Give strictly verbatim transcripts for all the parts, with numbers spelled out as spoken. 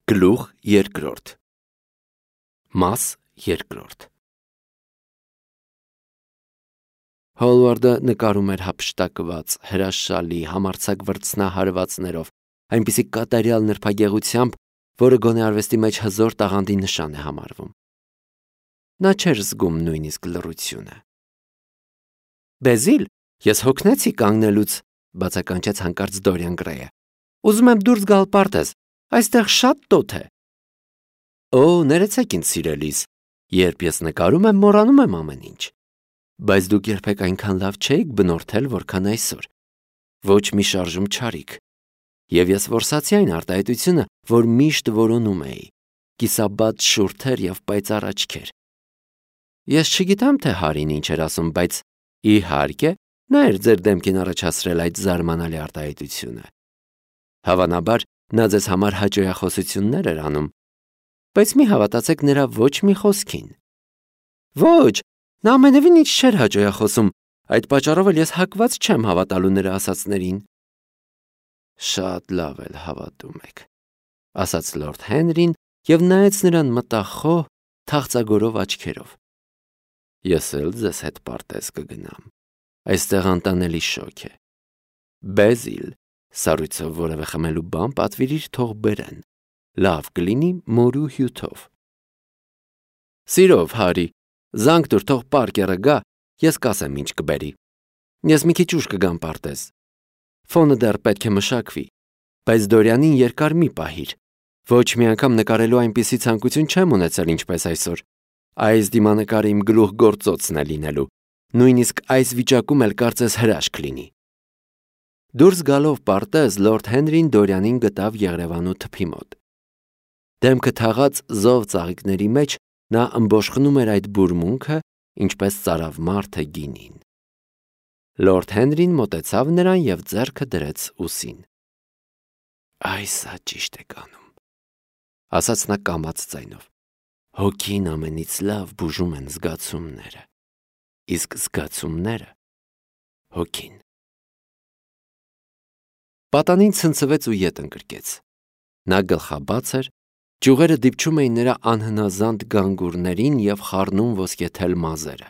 Գլուխ երկրորդ Մաս երկրորդ Հոլվարդը նկարում էր հափշտակված, հրաշալի, համարձակ վրձնահարվածներով, այնպիսի կատարյալ նրբագեղությամբ, որը գոնե արվեստի մեջ հզոր տաղանդի նշան է համարվում։ Նա չէր զգում նույնիսկ լռությունը։ Բեզիլ, ես հոգնեցի կանգնելուց, բացականչեց հանկարծ Դորիան Գրեյը։ Ուզում եմ դուրս գալ պարտեզ, այստեղ շատ տոթ է։ Օ, ներեցեք ինձ սիրելիս, երբ ես նկարում եմ, մոռանում եմ ամեն ինչ։ Բայց դուք երբեք այնքան լավ չէիք բնորդել, որքան այսօր։ Ոչ մի շարժում չարիք։ Եվ ես որսացի այն արտահայտությունը, որ միշտ որոնում էի, կիսաբաց շուրթեր և պայծառ աչքեր։ Ես չգիտեմ, թե Հարին ինչ էր ասում, բայց իհարկե, նա էր ձեր դեմքին առաջացրել այդ զարմանալի արտահայտությունը։ Հավանաբար, նա ձեզ համար հաճոյախոսություններ էր անում, բայց մի հավատացեք նրա ոչ մի խոսքին։ Ոչ, նա ամենևին ինչ չէր հաճոյախոսում, այդ պատճառով էլ ես հակված չեմ հավատալու նրա ասածներին։ Շատ լավ էլ հավատում եք, ասաց լորդ Հենրին և նայեց նրան մտախոհ, թախծագորով աչքերով։ Ես էլ ձեզ հետ պարտեզ կգնամ, այստեղ անտանելի շոգ է։ Բեզիլ, սառույցով որևէ խմելու բան պատվիրիր թող բերեն, լավ կլինի մորու հյութով։ Սիրով, Հարի, զանգ տուր, թող Պարկերը գա, ես կասեմ ինչ կբերի։ Ես մի քիչ ուշ կգամ պարտեզ։ Ֆոնը դեռ պետք է մշակվի, բայց Դորյանին երկար մի պահիր։ Ոչ մի անգամ նկարելու այնպիսի ցանկություն չեմ ունեցել, ինչպես այսօր։ Այս դիմանկարը իմ գլուխ գործոցն է լինելու, նույնիսկ այս վիճակում էլ կարծես հրաշք լինի։ Դուրս գալով պարտեզ, լորդ Հենրին Դորյանին գտավ եղրևանու թփի մոտ։ Դեմքը թաղած զով ծաղիկների մեջ նա ըմբոշխնում էր այդ բուրմունքը, ինչպես ծարավ մարդը գինին։ Լորդ Հենրին մոտեցավ նրան և ձեռքը դրեց ուսին։ Այս սա ճիշտ է կանում, ասաց նա կամաց ձայնով։ Հոգին ամենից լավ բուժում են զգացումները, իսկ զգացումները հոգին։ Պատանին ցնցվեց ու ետ ընկրկեց։ Նա գլխաբաց էր, ճյուղերը դիպչում էին նրա անհնազանդ գանգուրներին և խառնում ոսկեթել մազերը։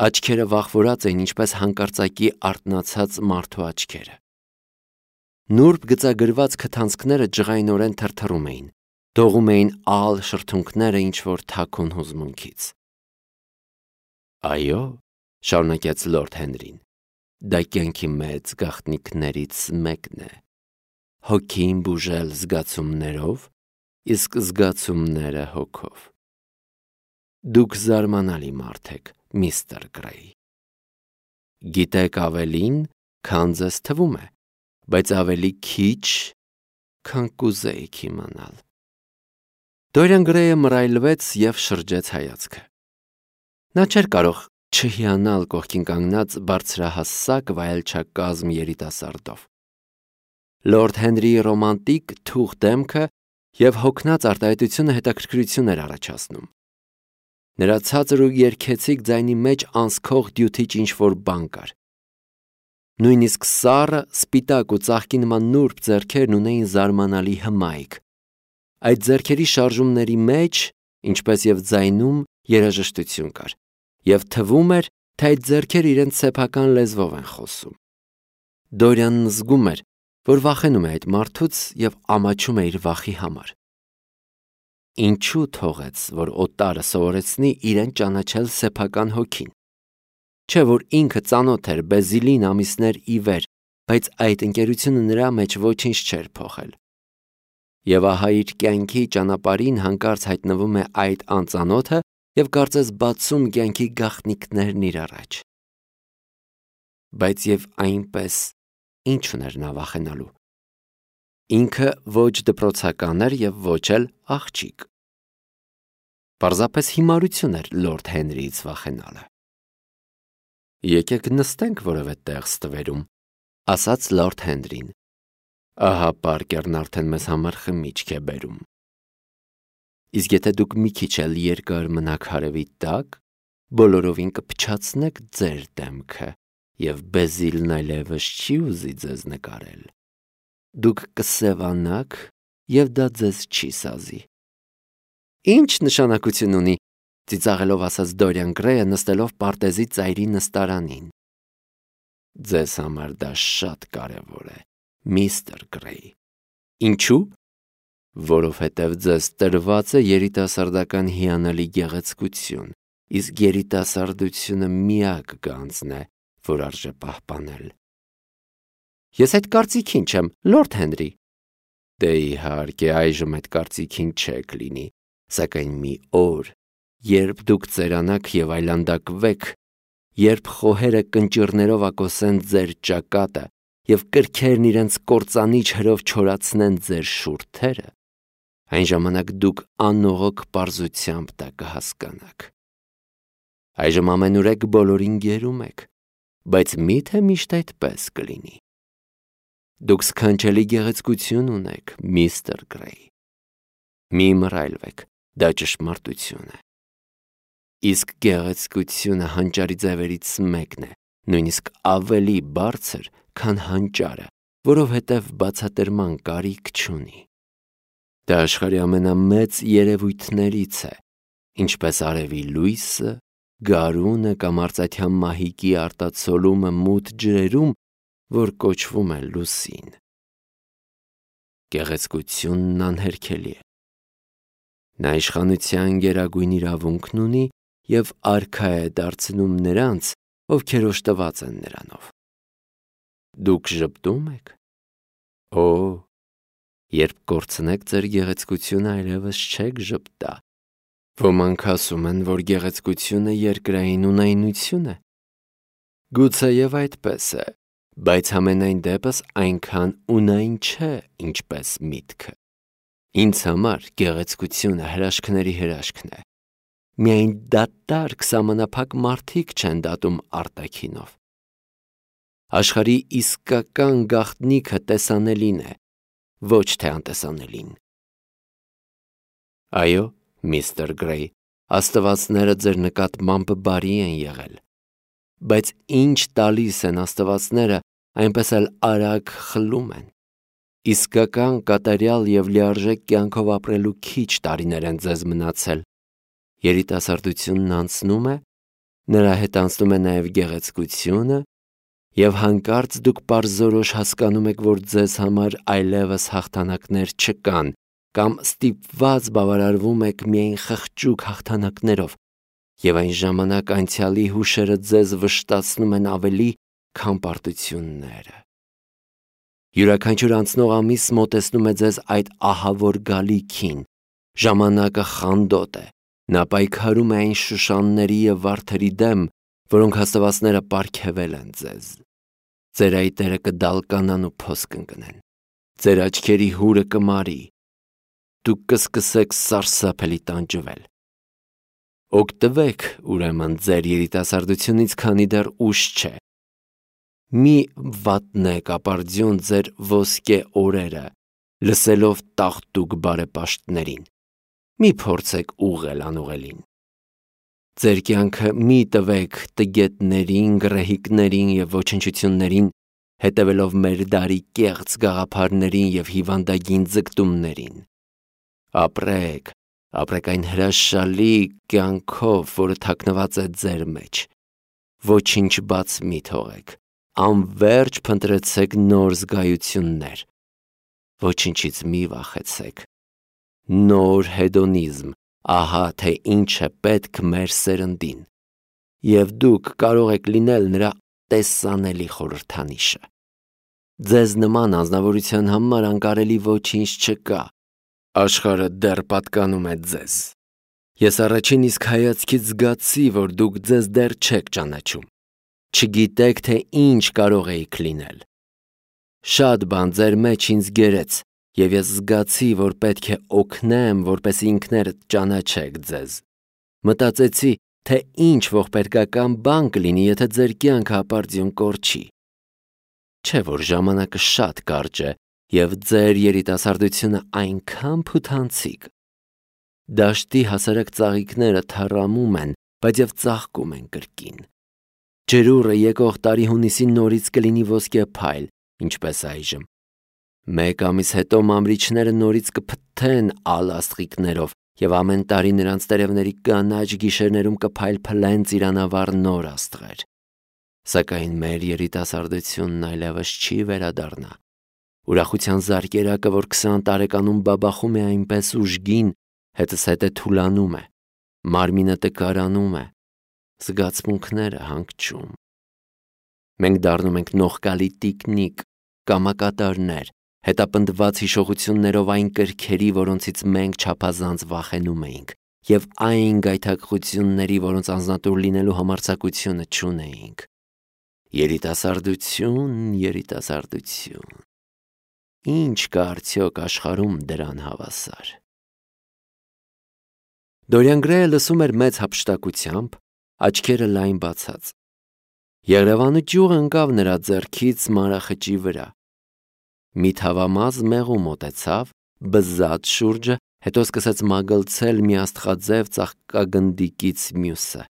Աչքերը վախվորած էին, ինչպես հանկարծակի արթնացած մարդու աչքերը։ Նուրբ գծագրված քթանցքները ջղայնորեն թրթռում էին, դողում էին ալ շրթունքները ինչ-որ թաքուն հուզմունքից։ Այո, շարունակեց լորդ Հենրին, դա կյանքի մեծ գաղտնիքներից մեկն է։ Հոգին բուժել զգացումներով, իսկ զգացումները հոգով։ Դուք զարմանալի մարդ եք, միստր Գրեյ։ Գիտեք ավելին, քան ձեզ թվում է, բայց ավելի քիչ, քան կուզեիք իմանալ։ Դորիան Գրեյը մռայլվեց և շրջեց հայացքը։ Նա չէր կարող չհիանալ կողքին կանգնած բարձրահասակ վայելչակազմ երիտասարդով։ Լորդ Հենրիի ռոմանտիկ թուխ դեմքը և հոգնած արտահայտությունը հետաքրքրություն էր առաջացնում։ Նրա ցածր ու երգեցիկ ձայնի մեջ անսքող դյութիչ ինչ-որ բան կար։ Նույնիսկ սառը, սպիտակ ու ծաղկի նման նուրբ ձեռքերն ունեին զարմանալի հմայք։ Այդ ձեռքերի շարժումների մեջ, ինչպես և ձայնում, երաժշտություն կար, և թվում էր, թե այդ ձեռքերը իրենց սեփական լեզվով են խոսում։ Դորյանն զգում էր, որ վախենում է այդ մարդուց և ամաչում է իր վախի համար։ Ինչու թողեց, որ օտարը սովորեցնի իրեն ճանաչել սեփական հոգին։ Չէ՞ որ ինքը ծանոթ էր Բեզիլին ամիսներ ի վեր, բայց այդ ընկերությունը նրա մեջ ոչինչ չէր փոխել։ Եվ ահա իր կյանքի ճանապարհին հանկարծ հայտնվում է այդ անծանոթը և կարծես բացում կյանքի գաղտնիքներն իր առաջ։ Բայց և այնպես ինչ ուներ նա վախենալու։ Ինքը ոչ դպրոցական էր և ոչ էլ աղջիկ։ Պարզապես հիմարություն էր լորդ Հենրիից վախենալը։ Եկեք նստենք որևէ տեղ ստվերում, ասաց լորդ Հենրին։ Ահա Պարկերն արդեն մեզ համար խմիչք է բերում։ Իսկ եթե դուք մի քիչ էլ երկար մնաք հարևի տակ, բոլորովին կփչացնեք ձեր դեմքը, և Բեզիլն այլևս չի ուզի ձեզ նկարել։ Դուք կսևանաք և դա ձեզ չի սազի։ Ինչ նշանակություն ունի, ծիծաղելով ասաց Դորիան Գրեյը նստելով պարտեզի ծայրի նստարանին։ Ձեզ համար դա շատ կարևոր է, միստր Գրեյ։ Ինչու՞։ Որովհետև ձեզ տրված է երիտասարդական հիանալի գեղեցկություն, իսկ երիտասարդությունը միակ գանձն է, որ արժե պահպանել։ Ես այդ կարծիքին չեմ, Լորդ Հենրի։ Դե իհարկե, այժմ այդ կարծիքին չեք լինի, սակայն մի օր, երբ դուք ծերանաք և այլանդակվեք, երբ խոհերը կնճիռներով ակոսեն ձեր ճակատը և կրքերն իրենց կործանիչ հրով չորացնեն ձեր շուրթերը, այն ժամանակ դուք անողոք պարզությամբ դա կհասկանաք։ Այժմ ամենուրեք բոլորին գերում եք, բայց միթե միշտ այդպես կլինի։ Դուք սքանչելի գեղեցկություն ունեք, միստր Գրեյ։ Մի մռայլվեք, դա ճշմարտություն է։ Իսկ գեղեցկությունը հանճարի ձևերից մեկն է, նույնիսկ ավելի բարձր, քան հանճարը, որովհետև բացատրման կարիք չունի։ Դա աշխարհի ամենամեծ երևույթներից է, ինչպես արևի լույսը, գարունը կամ արծաթյան մահիկի արտացոլումը մութ ջրերում, որ կոչվում է լուսին։ Գեղեցկությունն անհերքելի է։ Նա իշխանության գերագույն իրավունքն ունի և արքա է դարձնում նրանց, ովքեր օժտված են նրանով։ Դուք ժպտում եք։ Օ, երբ կորցնեք ձեր գեղեցկությունը, այլևս չեք ժպտա։ Ոմանք ասում են, որ գեղեցկությունը երկրային ունայնություն է։ Գուցեև այդպես է, բայց համենայն դեպս այնքան ունայն չէ, ինչպես միտքը։ Ինձ համար գեղեցկությունը հրաշքների հրաշքն է։ Միայն դատարկ սահմանափակ մարդիկ չեն դատում արտաքինով։ Աշխարհի իսկական գաղտնիքը տեսանելին է, ոչ թե անտեսանելին։ Այո, միստր Գրեյ, աստվածները ձեր նկատմամբ բարի են եղել, բայց ինչ տալիս են աստվածները, այնպես էլ արագ խլում են։ Իսկական կատարյալ և լիարժեք կյանքով ապրելու քիչ տարիներ են ձեզ մնացել։ Երիտասարդությունն անցնում է, նրա հետ անցնում է նաև գեղեցկությունը, և հանկարծ դուք պարզորոշ հասկանում եք, որ ձեզ համար այլևս հաղթանակներ չկան, կամ ստիպված բավարարվում եք միայն խղճուկ հաղթանակներով, և այն ժամանակ անցյալի հուշերը ձեզ վշտացնում են ավելի, քան պարտությունները։ Յուրաքանչյուր անցնող ամիս մոտեցնում է ձեզ այդ ահավոր գալիքին, ժամանակը խանդոտ է, նա պայքարում է այն շուշանների և վարդերի դեմ, որոնք աստվածները պարգևել են ձեզ։ Ձեր այտերը կդալկանան ու փոս կընկնեն, ձեր աչքերի հուրը կմարի, դուք կսկսեք սարսափելի տանջվել։ Օգտվեք, ուրեմն, ձեր երիտասարդությունից, քանի դեռ ուշ չէ։ Մի վատնեք ապարդյուն ձեր ոսկե օրերը, լսելով տաղտուկ բարեպաշտներին։ Մի փորձեք ուղղել անուղելին։ Ձեր կյանքը մի տվեք տգետներին, գռեհիկներին և ոչնչություններին, հետևելով մեր դարի կեղծ գաղափարներին և հիվանդագին ձգտումներին։ Ապրեք, ապրեք այն հրաշալի կյանքով, որը թաքնված է ձեր մեջ։ Ոչինչ բաց մի թողեք, անվերջ փնտրեցեք նոր զգայություններ։ Ոչինչից մի վախեցեք։ Նոր հեդոնիզմ, ահա թե ինչ է պետք մեր սերնդին, և դուք կարող եք լինել նրա տեսանելի խորհրդանիշը։ Ձեզ նման անձնավորության համար անկարելի ոչինչ չկա։ Աշխարհը դեռ պատկանում է ձեզ։ Ես առաջին իսկ հայացքից զգացի, որ դուք ձեզ դեռ չեք ճանաչում։ Չգիտեք, թե ինչ կարող էիք լինել։ Շատ բան ձեր մեջ ինձ գերեց, և ես զգացի, որ պետք է օգնեմ, որպեսզի ինքներդ ճանաչեք ձեզ։ Մտածեցի, թե ինչ ողբերգական բան կլինի, եթե ձեր կյանքը ապարդյուն կորչի։ Չէ՞ որ ժամանակը շատ կարճ է, և ձեր երիտասարդությունը այնքան փութանցիկ։ Դաշտի հասարակ ծաղիկները թառամում են, բայց և ծաղկում են կրկին։ Ջրուռը եկող տարի հունիսին նորից կլինի ոսկե փայլ, ինչպես այժմ։ Մեկ ամիս հետո մամրիչները նորից կփթթեն ալ աստղիկներով և ամեն տարի նրանց տերևների կանաչ գիշերներում կփայլփլեն ծիրանավառ նոր աստղեր։ Սակայն մեր երիտասարդությունն այլևս չի վերադառնա։ Ուրախության զարկերակը, որ քսան տարեկանում բաբախում է այնպես ուժգին, հետզհետե թուլանում է, մարմինը տկարանում է, զգացմունքները հանգչում։ Մենք դառնում ենք նողկալի տիկնիկ, կամակատարներ, հետապնդված հիշողություններով այն կրքերի, որոնցից մենք չափազանց վախենում էինք, և այն գայթակղությունների, որոնց անձնատուր լինելու համարձակությունը չունեինք։ Երիտասարդություն, երիտասարդություն։ Ինչ կա արդյոք աշխարհում դրան հավասար։ Դորիան Գրեյը լսում էր մեծ հափշտակությամբ, աչքերը լայն բացած։ Եղրևանու ճյուղը ընկավ նրա ձեռքից մանրախճի վրա։ Մի թավամազ մեղու մոտեցավ, բզաց շուրջը, հետո սկսեց մագլցել մի աստղաձև ծաղկագնդիկից մյուսը։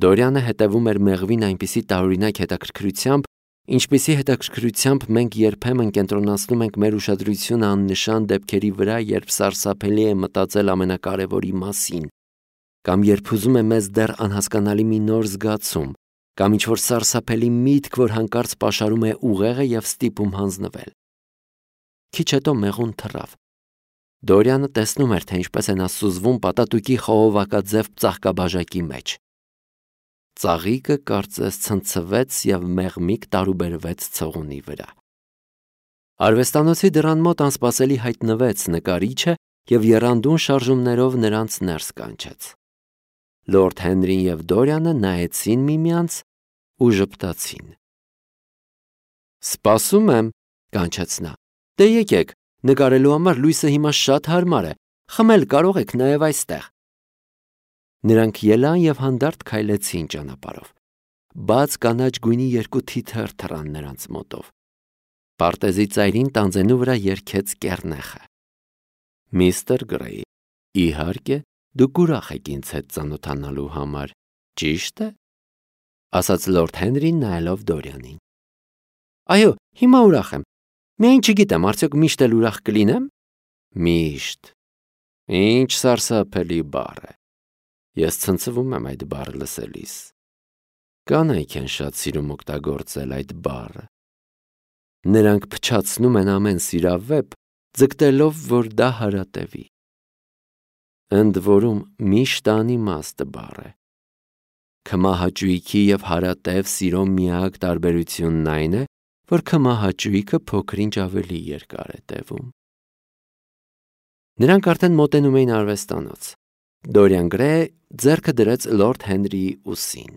Դորյանը հետևում էր մեղվին այնպիսի տարօրինակ հետաքրքրությամբ, ինչպիսի հետաքրքրությամբ մենք երբեմն կենտրոնացնում ենք մեր ուշադրությունը աննշան դեպքերի վրա, երբ սարսափելի է մտածել ամենակարևորի մասին, կամ երբ ուզում է մեզ դեռ անհասկանալի մի նոր զգացում, կամ ինչ-որ սարսափելի միտք, որ հանկարծ պաշարում է ուղեղը և ստիպում հանձնվել։ Քիչ հետո մեղուն թռավ։ Դորյանը տեսնում էր, թե ինչպես է նա սուզվում պատատուկի խողովակաձև ծաղկաբաժակի մեջ։ Ծաղիկը կարծես ցնցվեց և մեղմիկ տարուբերվեց ցողունի վրա։ Արվեստանոցի դռան մոտ անսպասելի հայտնվեց նկարիչը և եռանդուն շարժումներով նրանց ներս կանչեց։ Լորդ Հենրին և Դորյանը նայեցին միմյանց ու ժպտացին։ «Սպասում եմ», կանչեց նա։ «Դե եկեք, նկարելու համար լույսը հիմա շատ հարմար է, խմել կարող եք նաև այստեղ»։ Նրանք ելան և հանդարտ քայլեցին ճանապարհով։ Բաց կանաչ գույնի երկու թիթեռ թռան նրանց մոտով։ Պարտեզի ծայրին տանձենու վրա երգեց կեռնեխը։ «Միստր Գրեյ, իհարկե, դուք ուրախ եք ինձ հետ ծանոթանալու համար, ճի՞շտ է», ասաց լորդ Հենրին նայելով Դորյանին։ «Այո, հիմա ուրախ եմ, միայն չգիտեմ, արդյոք միշտ էլ ուրախ կլինեմ»։ «Միշտ։ Ինչ սարսափելի բառ է։ Ես ցնցվում եմ այդ բառը լսելիս։ Կանայք են շատ սիրում օգտագործել այդ բառը։ Նրանք փչացնում են ամեն սիրավեպ, ձգտելով, որ դա հարատևի։ Ընդ որում միշտ անիմաստ բառ է։ Քմահաճույքի և հարատև սիրո միակ տարբերությունն այն է, որ քմահաճույքը փոքր-ինչ ավելի երկար է տևում»։ Նրանք արդեն մոտենում էին արվեստանոց։ Դորիան Գրեյը ձեռքը դրեց լորդ Հենրիի ուսին։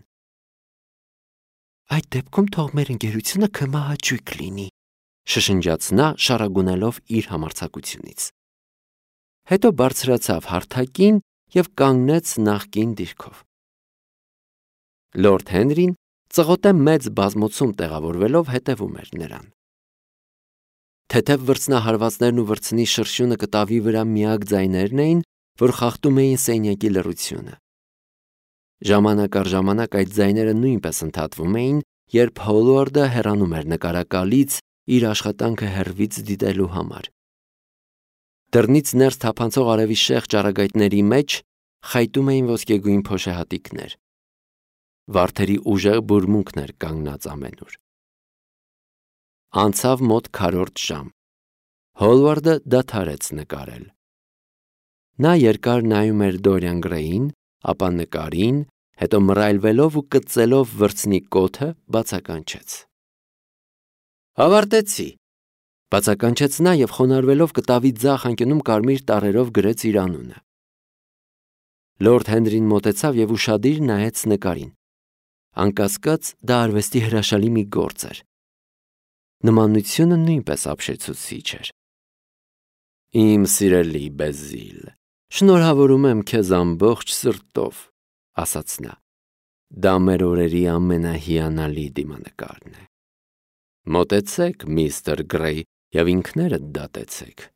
«Այդ դեպքում թող մեր ընկերությունը քմահաճույք լինի», շշնջաց նա, շառագունելով իր համարձակությունից։ Հետո բարձրացավ հարթակին և կանգնեց նախկին դիրքով։ Լորդ Հենրին ծղոտե մեծ բազմոցում տեղավորվելով հետևում էր նրան։ Թեթև վրձնահարվածներն ու վրձնի շրշյունը կտավի վրա միակ ձայներն էին, որ խախտում էին սենյակի լռությունը։ Ժամանակ առ ժամանակ այդ ձայները նույնպես ընդհատվում էին, երբ Հոլվարդը հեռանում էր նկարակալից իր աշխատանքը հեռվից դիտելու համար։ Դռնից ներս թափանցող արևի շեղ ճառագայթների մեջ խայտում էին ոսկեգույն փոշեհատիկներ։ Վարդերի ուժեղ բուրմունքն էր կանգնած ամենուր։ Անցավ մոտ քառորդ ժամ։ Հոլվարդը դադարեց նկարել։ Նա երկար նայում էր Դորիան Գրեյին, ապա նկարին, հետո մռայլվելով ու կծելով վրձնի կոթը բացականչեց։ «Ավարտեցի», բացականչեց նա և խոնարհվելով կտավի ձախ անկյունում կարմիր տառերով գրեց իր անունը։ Լորդ Հենրին մոտեցավ և ուշադիր նայեց նկարին։ Անկասկած, դա արվեստի հրաշալի մի գործ էր։ Նմանությունը նույնպես ապշեցուցիչ էր։ «Իմ սիրելի Բեզիլ, շնորհավորում եմ քեզ ամբողջ սրտով», ասաց նա։ «Դա մեր օրերի ամենահիանալի դիմանկարն է։ Մոտեցեք, միստր Գրեյ, և ինքներդ դատեցեք»։